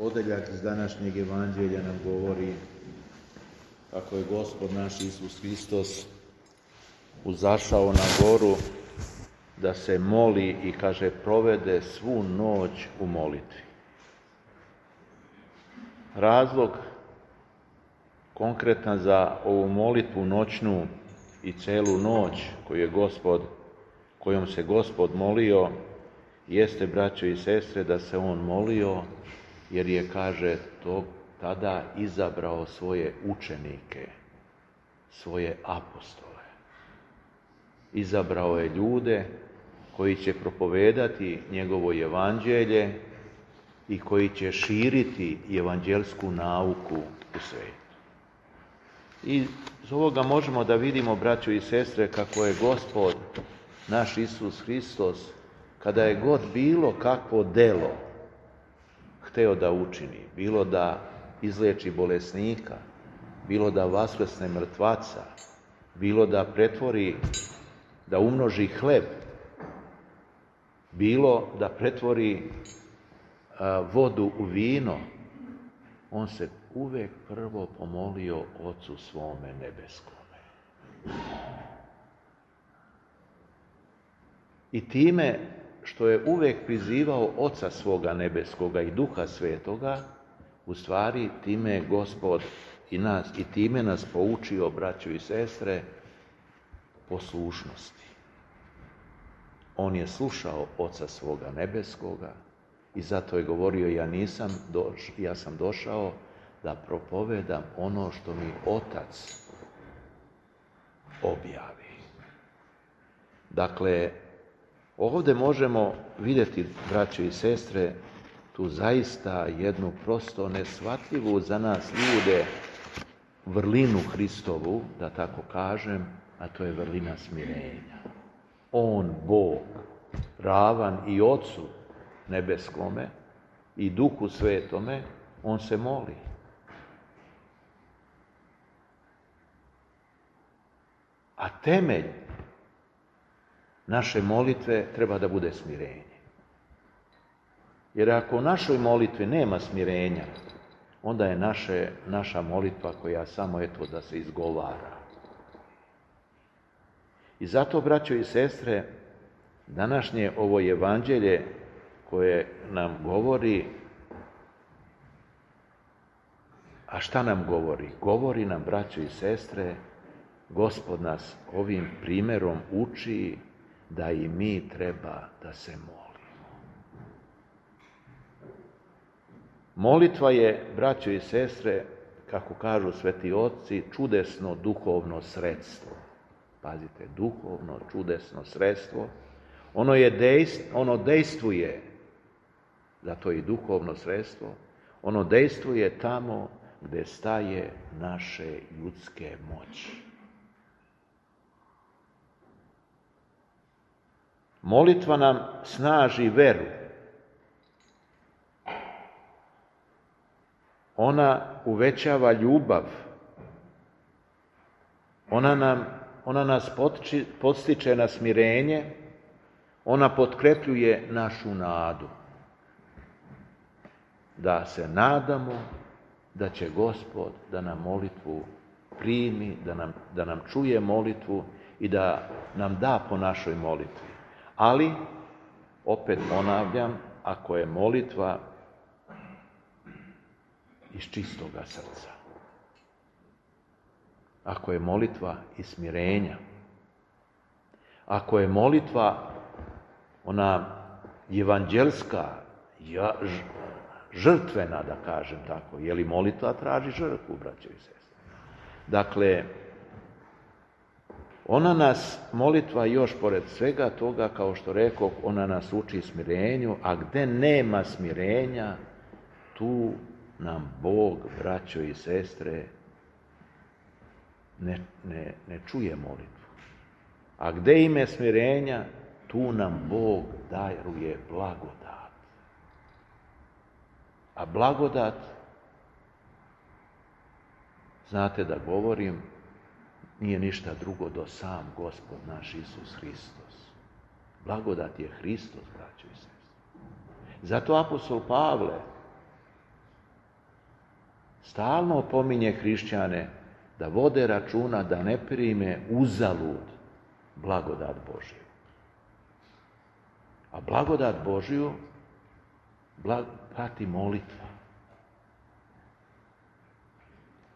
Odeljak iz današnjeg evanđelja nam govori kako je Gospod naš Isus Hristos uzašao na goru da se moli i kaže provede svu noć u molitvi. Razlog konkretan za ovu molitvu noćnu i celu noć kojom se Gospod molio jeste, braćo i sestre, da se on molio jer je, kaže, tada izabrao svoje učenike, svoje apostole. Izabrao je ljude koji će propovedati njegovo evanđelje i koji će širiti evanđelsku nauku u svijetu. I iz ovoga možemo da vidimo, braćo i sestre, kako je Gospod naš Isus Hristos, kada je god bilo kakvo delo hteo da učini, bilo da izleči bolesnika, bilo da vaskrsne mrtvaca, bilo da pretvori, da umnoži hleb, bilo da pretvori vodu u vino, on se uvek prvo pomolio Ocu svome nebeskome. I time što je uvek prizivao Oca svoga nebeskoga i Duha Svetoga, u stvari time je Gospod i time nas poučio, braćo i sestre, poslušnosti. On je slušao Oca svoga nebeskoga i zato je govorio ja sam došao da propovedam ono što mi Otac objavi. Dakle, ovdje možemo vidjeti, braćo i sestre, tu zaista jednu prosto neshvatljivu za nas ljude vrlinu Hristovu, da tako kažem, a to je vrlina smirenja. On, Bog, ravan i Ocu nebeskome i Duhu Svetome, on se moli. A temelj naše molitve treba da bude smirenje. Jer ako u našoj molitvi nema smirenja, onda je naša molitva koja samo da se izgovara. I zato, braćo i sestre, današnje ovo evanđelje koje nam govori, a šta nam govori? Govori nam, braćo i sestre, Gospod nas ovim primjerom uči da i mi treba da se molimo. Molitva je, braćo i sestre, kako kažu sveti otci, čudesno duhovno sredstvo. Pazite, duhovno, čudesno sredstvo. Ono dejstvuje, zato je i duhovno sredstvo, ono dejstvuje tamo gdje staje naše ljudske moći. Molitva nam snaži veru. Ona uvećava ljubav. Ona nas podstiče na smirenje. Ona potkrepljuje našu nadu. Da se nadamo da će Gospod da nam molitvu primi, da nam čuje molitvu i da nam da po našoj molitvi. Ali, opet ponavljam, ako je molitva iz čistoga srca, ako je molitva iz smirenja, ako je molitva ona evanđelska, žrtvena, da kažem tako, je li molitva traži žrtvu, braćo i sestre? Dakle, ona nas, molitva još pored svega toga, kao što rekoh, ona nas uči smirenju, a gde nema smirenja, tu nam Bog, braćo i sestre, ne čuje molitvu. A gde ima smirenja, tu nam Bog daruje blagodat. A blagodat, znate da govorim, nije ništa drugo do sam Gospod naš Isus Hristos. Blagodat je Hristos, braćo i sestre. Zato apostol Pavle stalno opominje hrišćane da vode računa da ne prime uzalud blagodat Božju. A blagodat Božju prati molitva.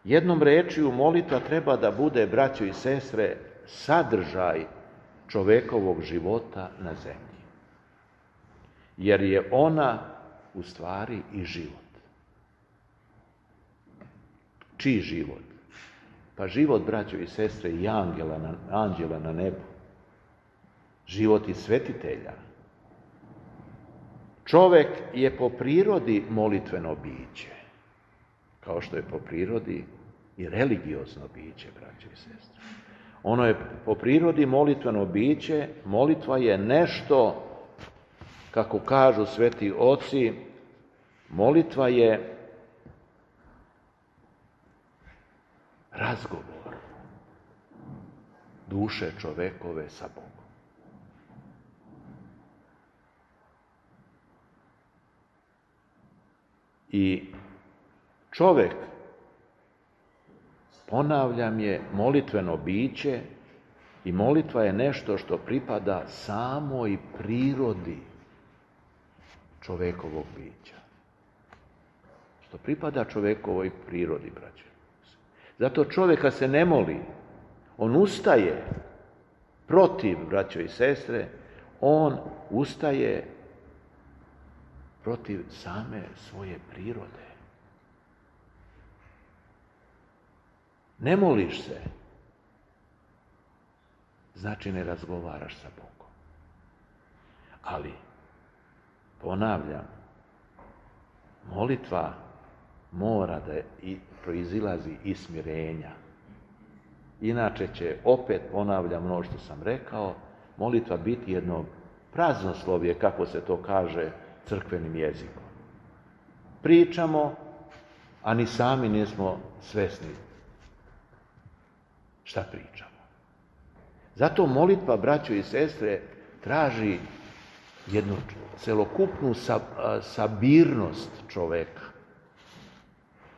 Jednom rečju, molitva treba da bude, braćo i sestre, sadržaj čovekovog života na zemlji. Jer je ona u stvari i život. Čiji život? Pa život, braćo i sestre, i anđela na nebu. Život i svetitelja. Čovek je po prirodi molitveno biće, kao što je po prirodi i religiozno biće, braćo i sestre. Ono je po prirodi molitveno biće, molitva je nešto, kako kažu sveti oci, molitva je razgovor duše čovekove sa Bogom. I čovek, ponavljam, je molitveno biće i molitva je nešto što pripada samoj prirodi čovekovog bića. Što pripada čovekovoj prirodi, braće. Zato čovjeka se ne moli. On ustaje protiv, braćo i sestre, on ustaje protiv same svoje prirode. Ne moliš se, znači ne razgovaraš sa Bogom. Ali, ponavljam, molitva mora da proizilazi iz smirenja. Inače će, opet ponavljam ono što sam rekao, molitva biti jedno praznoslovje, kako se to kaže crkvenim jezikom. Pričamo, a ni sami nismo svesni šta pričamo. Zato molitva, braćo i sestre, traži jednu celokupnu sabirnost čoveka.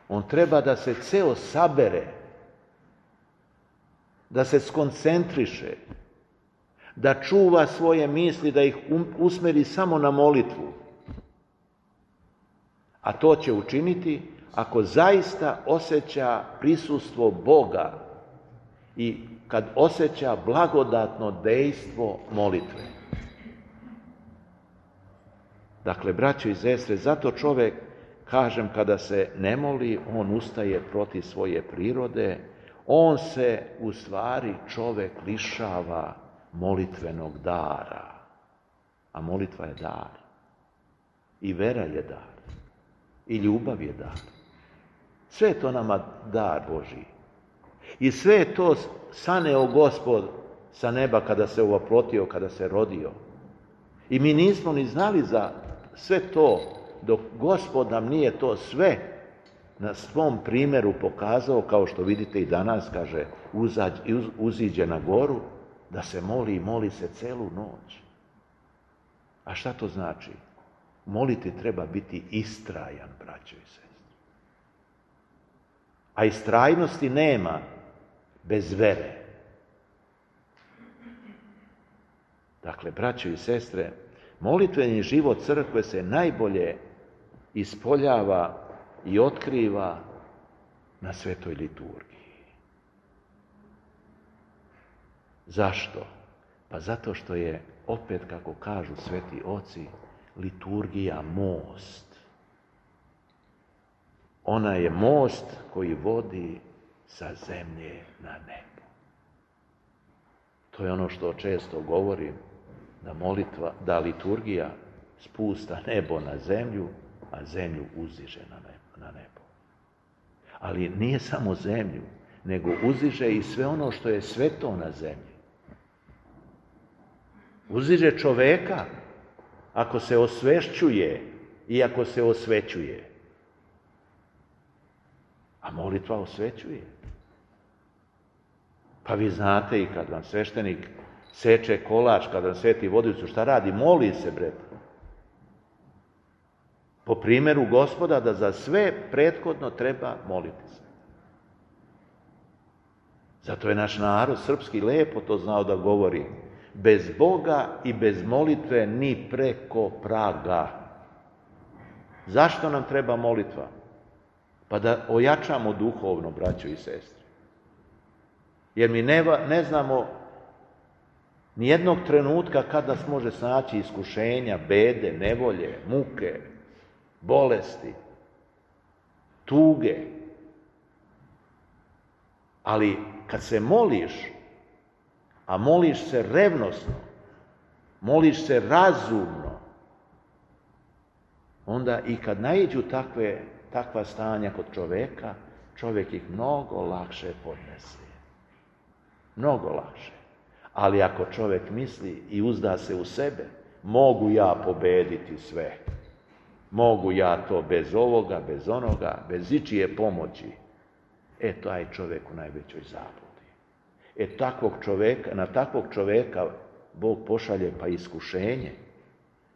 On treba da se ceo sabere, da se skoncentriše, da čuva svoje misli, da ih usmeri samo na molitvu. A to će učiniti ako zaista osjeća prisustvo Boga i kad osjeća blagodatno dejstvo molitve. Dakle, braćo i sestre, zato čovjek, kažem, kada se ne moli, on ustaje protiv svoje prirode, on se, u stvari, čovjek lišava molitvenog dara. A molitva je dar. I vera je dar. I ljubav je dar. Sve je to nama dar Božji. I sve je to saneo Gospod sa neba kada se ovoprotio, kada se rodio. I mi nismo ni znali za sve to, dok Gospod nam nije to sve na svom primjeru pokazao, kao što vidite i danas, kaže, uziđe na goru, da se moli i moli se celu noć. A šta to znači? Moliti treba biti istrajan, braćo i sestre. A istrajnosti nema bez vere. Dakle, braćo i sestre, molitveni život crkve se najbolje ispoljava i otkriva na svetoj liturgiji. Zašto? Pa zato što je, opet kako kažu sveti oci, liturgija most. Ona je most koji vodi sa zemlje na nebo. To je ono što često govorim, da liturgija spusta nebo na zemlju, a zemlju uzdiže na nebo. Ali nije samo zemlju, nego uzdiže i sve ono što je sveto na zemlji. Uzdiže čoveka ako se osvešćuje i ako se osvećuje. A molitva osvećuje. Pa vi znate, i kad vam sveštenik seče kolač, kad vam sveti vodicu, šta radi? Moli se, bre. Po primjeru Gospoda da za sve prethodno treba moliti se. Zato je naš narod srpski lepo to znao da govori. Bez Boga i bez molitve ni preko praga. Zašto nam treba molitva? Pa da ojačamo duhovno, braćo i sestre. Jer mi ne znamo nijednog trenutka kad nas može snaći iskušenja, bede, nevolje, muke, bolesti, tuge. Ali kad se moliš, a moliš se revnosno, moliš se razumno, onda i kad naiđu takva stanja kod čovjeka, čovjek ih mnogo lakše podnese. Mnogo lakše. Ali ako čovjek misli i uzda se u sebe, mogu ja pobediti sve. Mogu ja to bez ovoga, bez onoga, bez ičije pomoći. Taj čovjek u najvećoj zabludi. Na takvog čovjeka Bog pošalje pa iskušenje,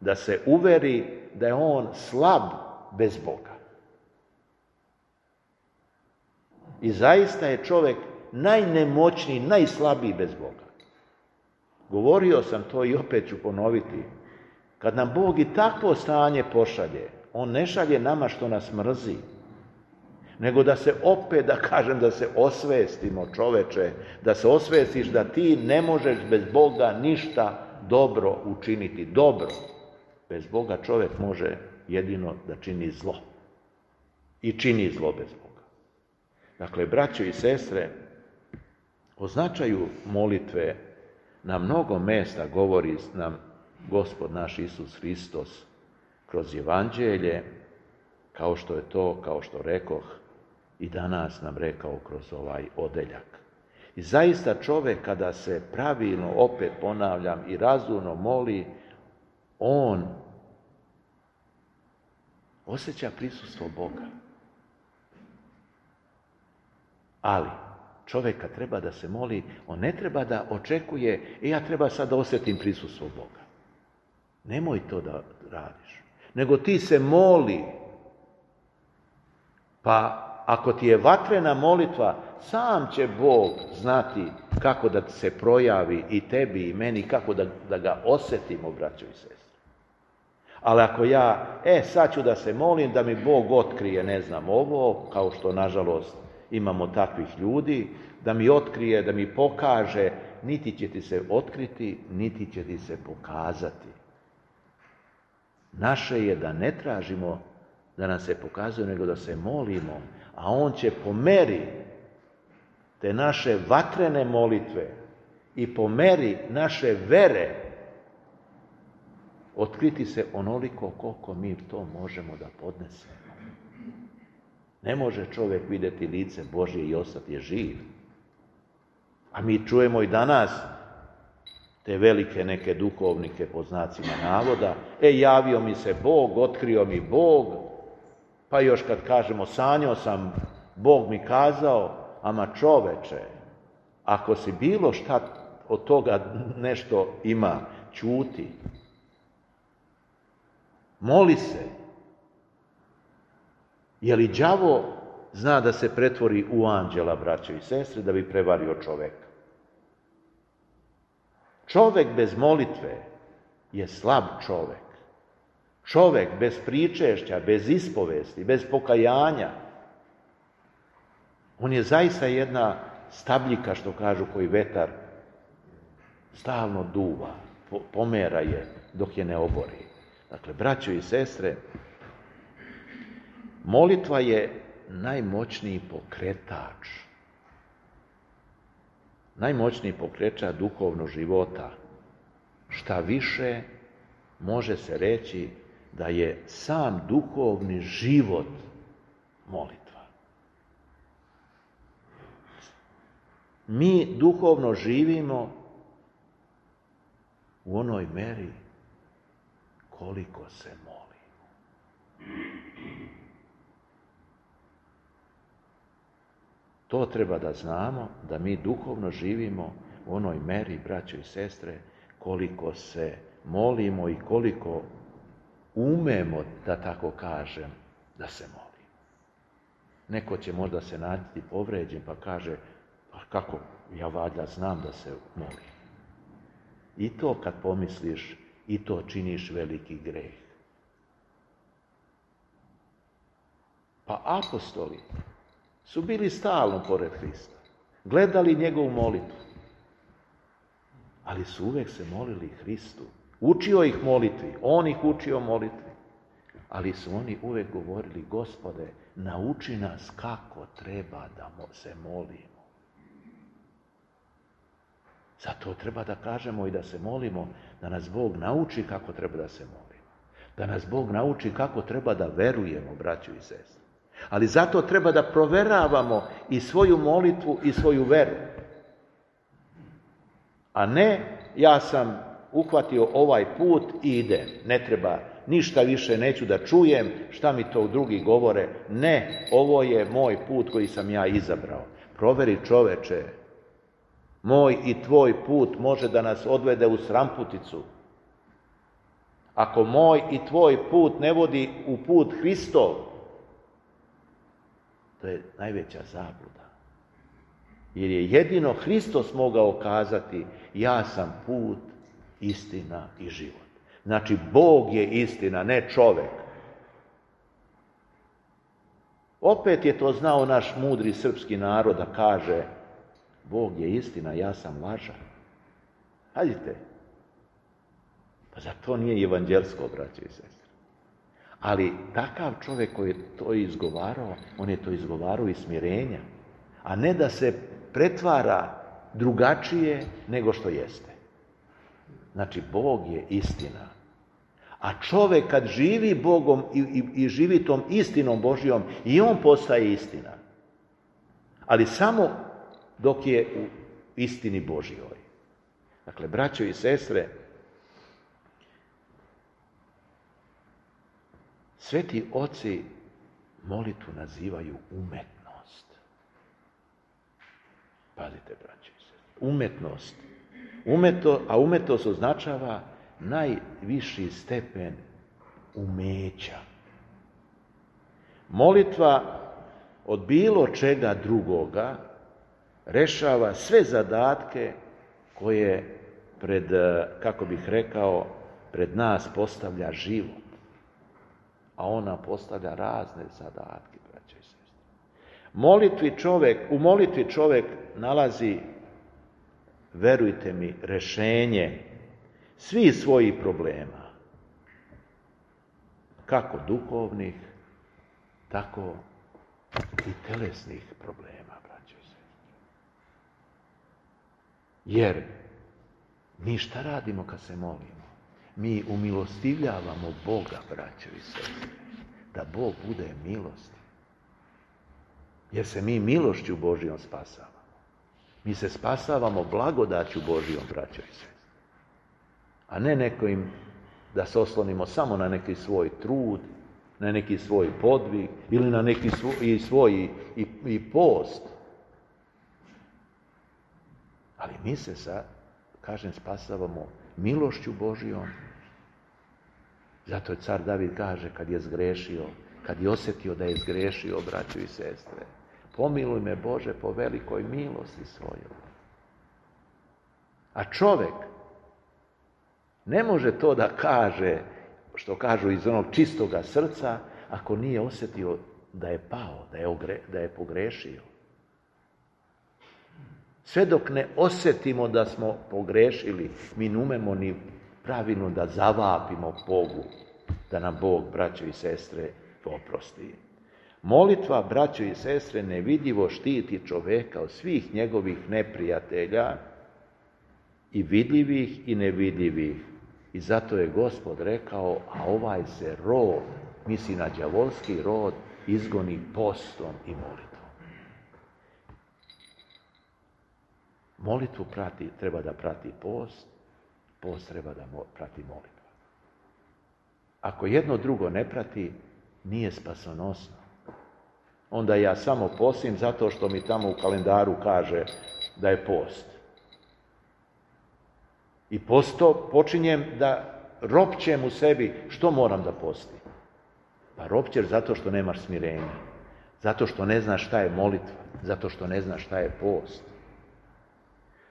da se uveri da je on slab bez Boga. I zaista je čovjek najnemoćniji, najslabiji bez Boga. Govorio sam to i opet ću ponoviti. Kad nam Bog i takvo stanje pošalje, on ne šalje nama što nas mrzi, nego da se opet, da se osvestimo, čoveče, da se osvestiš da ti ne možeš bez Boga ništa dobro učiniti. Dobro. Bez Boga čovjek može jedino da čini zlo. I čini zlo bez Boga. Dakle, braćo i sestre, o značaju molitve na mnogo mesta govori nam Gospod naš Isus Hristos kroz Evanđelje, kao što rekoh, i danas nam rekao kroz ovaj odeljak. I zaista čovjek kada se pravilno, opet ponavljam, i razumno moli, on osjeća prisustvo Boga. Ali čovjek kad treba da se moli, on ne treba da očekuje, ja treba sad da osjetim prisustvo Boga. Nemoj to da radiš. Nego ti se moli. Pa ako ti je vatrena molitva, sam će Bog znati kako da se projavi i tebi i meni, kako da ga osjetimo, braćo i sestre. Ali ako ja, sad ću da se molim da mi Bog otkrije, ovo, kao što nažalost imamo takvih ljudi, da mi otkrije, da mi pokaže, niti će ti se otkriti, niti će ti se pokazati. Naše je da ne tražimo da nam se pokazuje, nego da se molimo, a on će po meri te naše vatrene molitve i po meri naše vere otkriti se onoliko koliko mi to možemo da podnesemo. Ne može čovjek vidjeti lice Božje i ostati živ. A mi čujemo i danas te velike neke duhovnike po znacima navoda, javio mi se Bog, otkrio mi Bog, pa još kad kažemo sanjao sam, Bog mi kazao, ama čoveče, ako si bilo šta od toga nešto ima, ćuti. Moli se. Je li đavo zna da se pretvori u anđela, braćo i sestre, da bi prevario čoveka? Čovek bez molitve je slab čovek. Čovek bez pričešća, bez ispovesti, bez pokajanja, on je zaista jedna stabljika, što kažu, koji vetar stalno duva, pomera je dok je ne obori. Dakle, braćo i sestre, molitva je najmoćniji pokretač. Najmoćniji pokretač duhovnog života. Šta više, može se reći da je sam duhovni život molitva. Mi duhovno živimo u onoj meri koliko se molimo. To treba da znamo, da mi duhovno živimo u onoj meri, braćo i sestre, koliko se molimo i koliko umemo, da tako kažem, da se molimo. Neko će možda se naći povređen pa kaže, pa kako, ja valjda znam da se molim. I to kad pomisliš, i to činiš veliki greh. Pa apostoli su bili stalno pored Hrista, gledali njegovu molitvu, ali su uvek se molili Hristu. Učio ih molitvi, on ih učio molitvi, ali su oni uvek govorili, Gospode, nauči nas kako treba da se molimo. Zato treba da kažemo i da se molimo, da nas Bog nauči kako treba da se molimo. Da nas Bog nauči kako treba da verujemo, braćo i sestre. Ali zato treba da proveravamo i svoju molitvu i svoju veru. A ne, ja sam uhvatio ovaj put i idem. Ne treba ništa više, neću da čujem šta mi to drugi govore. Ne, ovo je moj put koji sam ja izabrao. Proveri, čoveče, moj i tvoj put može da nas odvede u sramputicu. Ako moj i tvoj put ne vodi u put Hristov, to je najveća zabluda. Jer je jedino Hristos mogao kazati, ja sam put, istina i život. Znači, Bog je istina, ne čovek. Opet je to znao naš mudri srpski narod da kaže, Bog je istina, ja sam lažan. Hajdite. Pa za to nije evanđelsko, braće i sestre. Ali takav čovjek koji je to izgovarao, on je to izgovarao iz smirenja, a ne da se pretvara drugačije nego što jeste. Znači, Bog je istina. A čovjek kad živi Bogom i živi tom istinom Božjom, i on postaje istina. Ali samo dok je u istini Božjoj. Dakle, braćo i sestre, sveti oci molitvu nazivaju umetnost. Pazite, braćo i sestre, umetnost. A umetnost označava najviši stepen umeća. Molitva od bilo čega drugoga rešava sve zadatke koje pred nas postavlja život. A ona postavlja razne zadatke, braće i sestre. U molitvi čovjek nalazi, verujte mi, rešenje svih svojih problema. Kako duhovnih, tako i telesnih problema, braće i sestre. Jer mi šta radimo kad se molimo? Mi umilostivljavamo Boga, braćo i sestre, da Bog bude milostiv. Jer se mi milošću Božjom spasavamo. Mi se spasavamo blagodaću Božjom, braćo i sestre. A ne nekim da se oslonimo samo na neki svoj trud, na neki svoj podvig ili na neki svoj post. Ali mi se spasavamo milošću Božjom. Zato je car David kaže kad je zgrešio, kad je osjetio da je zgrešio, braćo i sestre, pomiluj me Bože po velikoj milosti svojoj. A čovjek ne može to da kaže, što kažu iz onog čistoga srca, ako nije osjetio da je pao, da je pogrešio. Sve dok ne osjetimo da smo pogrešili, mi ne umemo ni pravilno da zavapimo Bogu, da nam Bog, braćo i sestre, oprosti. Molitva, braćo i sestre, nevidljivo štiti čoveka od svih njegovih neprijatelja, i vidljivih i nevidljivih. I zato je Gospod rekao, a ovaj se rod, misli na đavolski rod, izgoni postom i molitvom. Molitvu treba da prati post, post treba da prati molitva. Ako jedno drugo ne prati, nije spasonosno. Onda ja samo postim zato što mi tamo u kalendaru kaže da je post. I posto počinjem da ropćem u sebi, što moram da postim? Pa ropćeš zato što nemaš smirenja, zato što ne znaš šta je molitva, zato što ne znaš šta je post.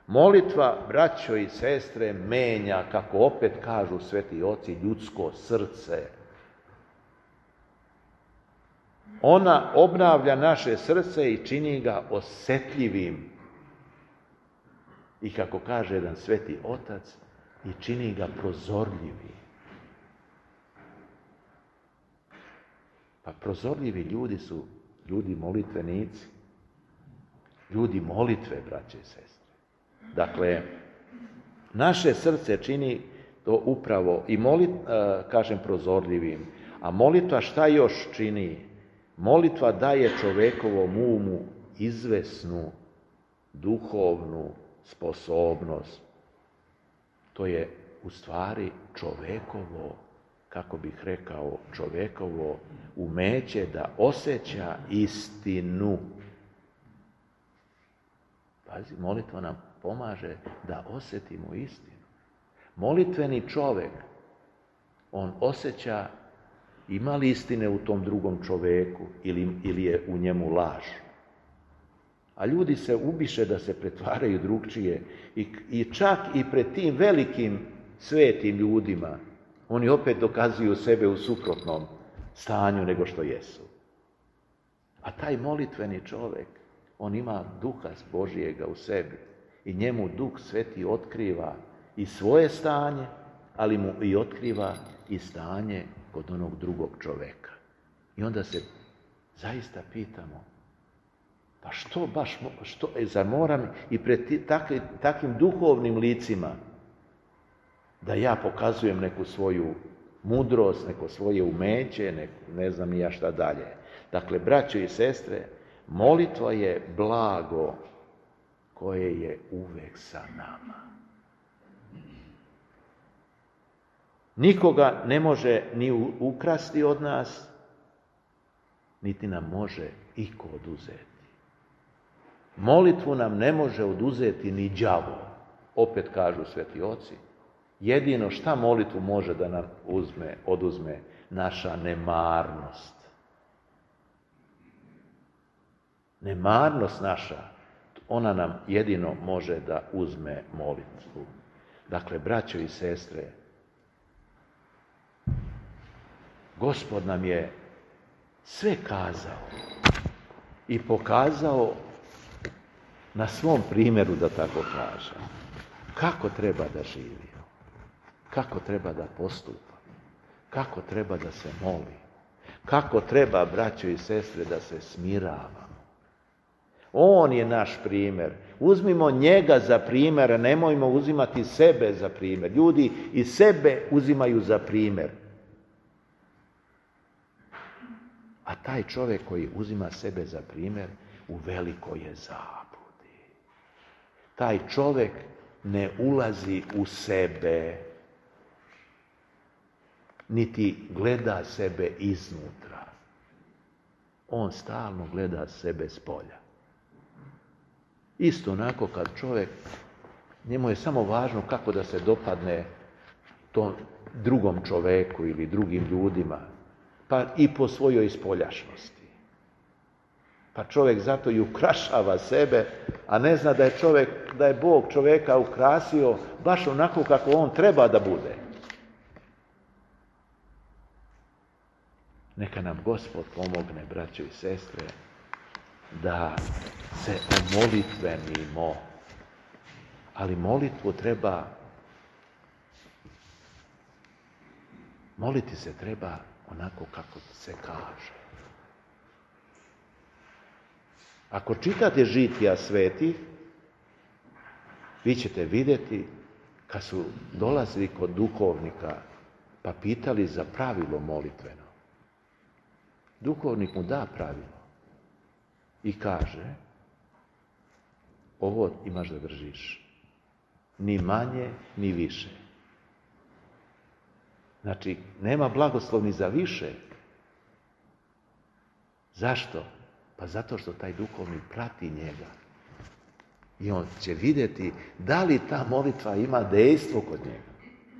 Molitva, braćo i sestre, menja, kako opet kažu sveti oci, ljudsko srce. Ona obnavlja naše srce i čini ga osjetljivim. I kako kaže jedan sveti otac, i čini ga prozorljivim. Pa prozorljivi ljudi su ljudi molitvenici. Ljudi molitve, braće i sestre. Dakle, naše srce čini to upravo i kažem prozorljivim. A molitva šta još čini? Molitva daje čovekovom umu izvesnu duhovnu sposobnost. To je u stvari čovekovo, kako bih rekao, čovekovo umeće da osjeća istinu. Pazi, molitva nam pomaže da osjetimo istinu. Molitveni čovek, on osjeća ima li istine u tom drugom čoveku ili je u njemu laž. A ljudi se ubiše da se pretvaraju drugčije i čak i pred tim velikim svetim ljudima oni opet dokazuju sebe u suprotnom stanju nego što jesu. A taj molitveni čovjek, on ima duha Božijega u sebi i njemu Duh Sveti otkriva i svoje stanje, ali mu i otkriva i stanje kod onog drugog čovjeka. I onda se zaista pitamo, pa što baš, zar moram i pred takvim duhovnim licima da ja pokazujem neku svoju mudrost, neko svoje umeće, ne znam ni ja šta dalje. Dakle, braćo i sestre, molitva je blago koje je uvek sa nama. Nikoga ne može ni ukrasti od nas, niti nam može iko oduzeti. Molitvu nam ne može oduzeti ni đavo, opet kažu sveti oci. Jedino šta molitvu može da nam oduzme naša nemarnost. Nemarnost naša, ona nam jedino može da uzme molitvu. Dakle, braćo i sestre, Gospod nam je sve kazao i pokazao na svom primjeru, da tako kažem, kako treba da živimo, kako treba da postupamo, kako treba da se moli, kako treba, braćo i sestre, da se smiravamo. On je naš primjer. Uzmimo njega za primjer, a nemojmo uzimati sebe za primjer. Ljudi i sebe uzimaju za primjer. A taj čovjek koji uzima sebe za primjer, u velikoj je zabludi. Taj čovjek ne ulazi u sebe, niti gleda sebe iznutra. On stalno gleda sebe s polja. Isto onako kad čovjek, njemu je samo važno kako da se dopadne tom drugom čovjeku ili drugim ljudima, pa i po svojoj spoljašnosti. Pa čovjek zato i ukrašava sebe, a ne zna da je Bog čovjeka ukrasio baš onako kako on treba da bude. Neka nam Gospod pomogne, braćo i sestre, da se omolitvenimo. Ali moliti se treba onako kako se kaže. Ako čitate žitija svetih, vi ćete vidjeti kad su dolazili kod duhovnika pa pitali za pravilo molitveno. Duhovnik mu da pravilo i kaže, ovo imaš da držiš, ni manje, ni više. Znači, nema blagoslov ni za više. Zašto? Pa zato što taj duhovnik prati njega. I on će vidjeti da li ta molitva ima dejstvo kod njega.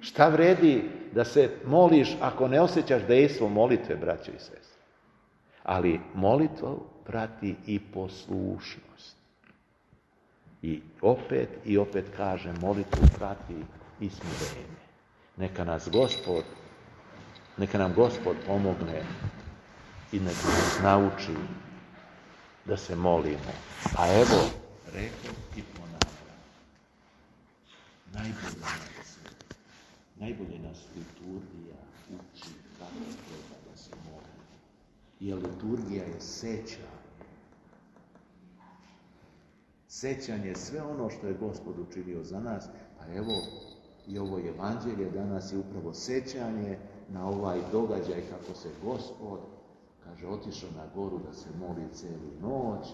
Šta vredi da se moliš ako ne osjećaš dejstvo molitve, braćo i sestre? Ali molitvu prati i poslušnost. I opet kažem, molitvu prati i smirenje. Neka nam Gospod pomogne i neka nas nauči da se molimo. A evo, rekao i ponavljam, najbolje nas liturgija uči kako treba da se molimo. Jer liturgija je sećanje. Sećanje je sve ono što je Gospod učinio za nas, pa evo i ovo evanđelje danas je upravo sećanje na ovaj događaj kako se Gospod, kaže, otišao na goru da se moli cijelu noć,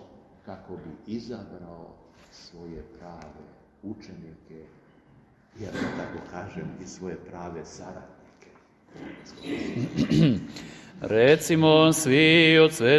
kako bi izabrao svoje prave učenike, jer da tako kažem i svoje prave saradnike. Recimo svi od sve